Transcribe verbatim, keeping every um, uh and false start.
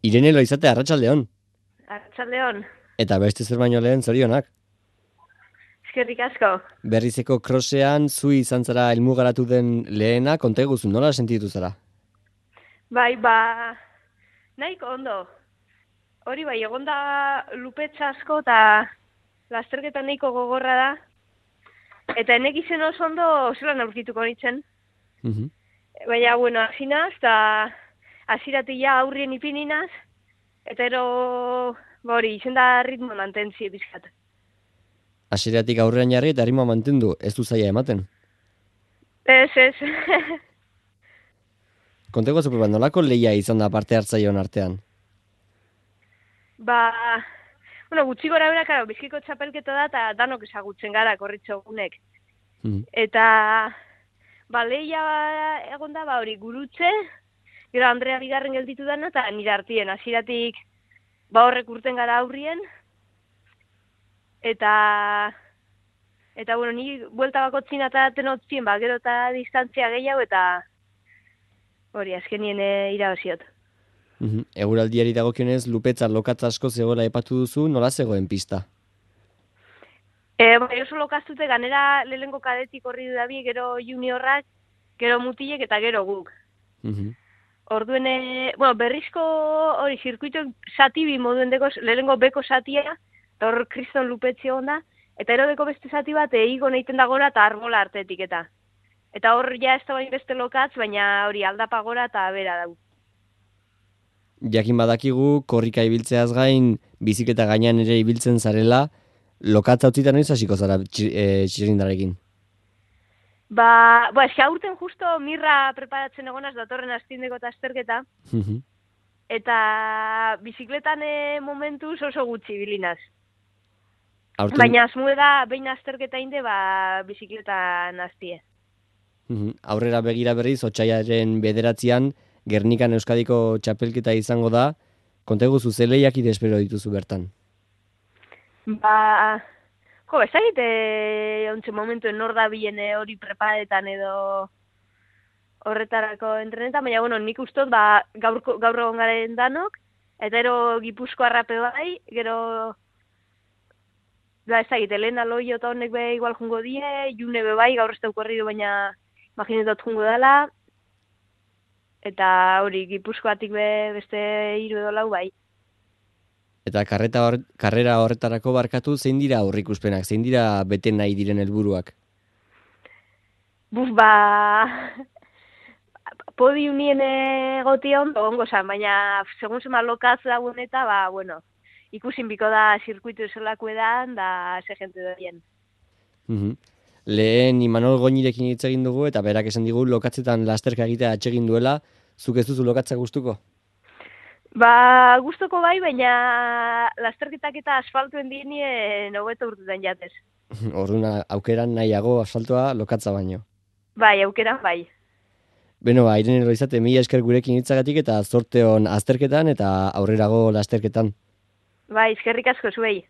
Irene Loizate, arratsaldeon. Arratsaldeon. Eta beste zer baino lehen zorionak. Eskerrik asko. Berrizeko krosean zu izan zara helmugaratu den lehena, konta eguzu, nola sentitu zara? Bai, ba, nahiko ondo. Hori bai, egonda lupetza asko eta lasterketa nahiko gogorra da. Eta enek izen oso ondo zelan aurkituko nintzen. Mhm. Baina, bueno, asinaz, eta asiratik ja aurrien ipininaz. Eta ero, ba hori, izen da ritmo mantentzi bizkat. Hasieratik aurrean jarri eta erritmoa mantendu, ez du zaila ematen. Ez, ez. Konta eguzu, proba, nolako lehia izan da parte hartzaileon artean? Ba, bueno, gutxi gora bera, karo, bizkiko txapelketa da, eta danok ezagutzen gara korritxogunek. Mhm. Eta, ba, lehia egon da, ba, hori, gurutze, gero Andrea bigarren gelditu dana, eta nire hartien, hasieratik ba, horrek urten gara aurrien, eta, eta, bueno, ni buelta bakotzin eta tenotzien, ba, gero eta distantzia gehiago, eta, hori, azkenien e, irabaziot. Mhm. Eguraldiari dagokionez, lupetza lokatza asko zegoela epatu duzu, nola zegoen pista? E, bai, oso lokaztute, ganera lehenko kadetik horri dudabi, gero juniorrak, gero mutilek eta gero guk. Mhm. Orduen, e, bueno, berrizko hori zirkuito sati bi moduen deko, lehenko beko satia, eta hor kriston lupetzi onda, eta ero deko beste sati bat eigo neiten da gora eta arbola artetik eta. Eta hor ja ez da bain beste lokatz, baina hori aldapa gora eta bera dau. Jakin badakigu, korrika ibiltzeaz gain, bizikleta gainean ere ibiltzen zarela, lokatza utzita noiz hasiko zara txi- eh, txirrindarekin? Ba, ba, eski aurten justo mirra preparatzen egonaz datorren astindeko eta azterketa, Mhm. eta bizikletan e, momentuz oso gutxi bilinaz. Aurten, Baina asmue da, behin azterketa inde, ba, bizikletan aztie. mhm, aurrera begira berriz, otsailaren bederatzian, Gernikan Euskadiko txapelketa izango da, konta eguzu ze lehiakide espero dituzu bertan. Ba, jo, ez dakit, e, ontsen momentuen nor da bilen e, hori preparetan edo horretarako entrenetan, baina, bueno, nik ustot, ba, gaur, gaur egon garen danok, eta ero Gipuzko arrape bai, gero, ba, ez dakit, Elena Loio eta honek be igual jungo die, June be bai, gaur ez dauko herri du, baina imaginetot jungo dela, eta hori, Gipuzkoatik be beste hiru edo lau bai. Eta karreta hor, karrera horretarako barkatu, zein dira aurrikuspenak, zein dira bete nahi diren helburuak? Buf, ba, podiumien egoti ondo, ongo zan, baina segun zema lokaz dagoen eta, ba, bueno, ikusin biko da zirkuitu zelako edan, da ze jente doien. Mhm. Lehen Imanol Goñirekin hitz egin dugu eta berak esan digu lokatzetan lasterka egitea atsegin duela, zuk ez duzu lokatza gustuko? Ba, gustoko bai, baina lasterketak eta asfaltuen dinien hobeto urtetan jatez. Orduan aukeran nahiago asfaltoa lokatza baino. Bai, aukeran bai. Beno, ba, Irene Loizate, mila esker gurekin hitzagatik eta zorte on azterketan eta aurrerago lasterketan. Bai, eskerrik asko zuei.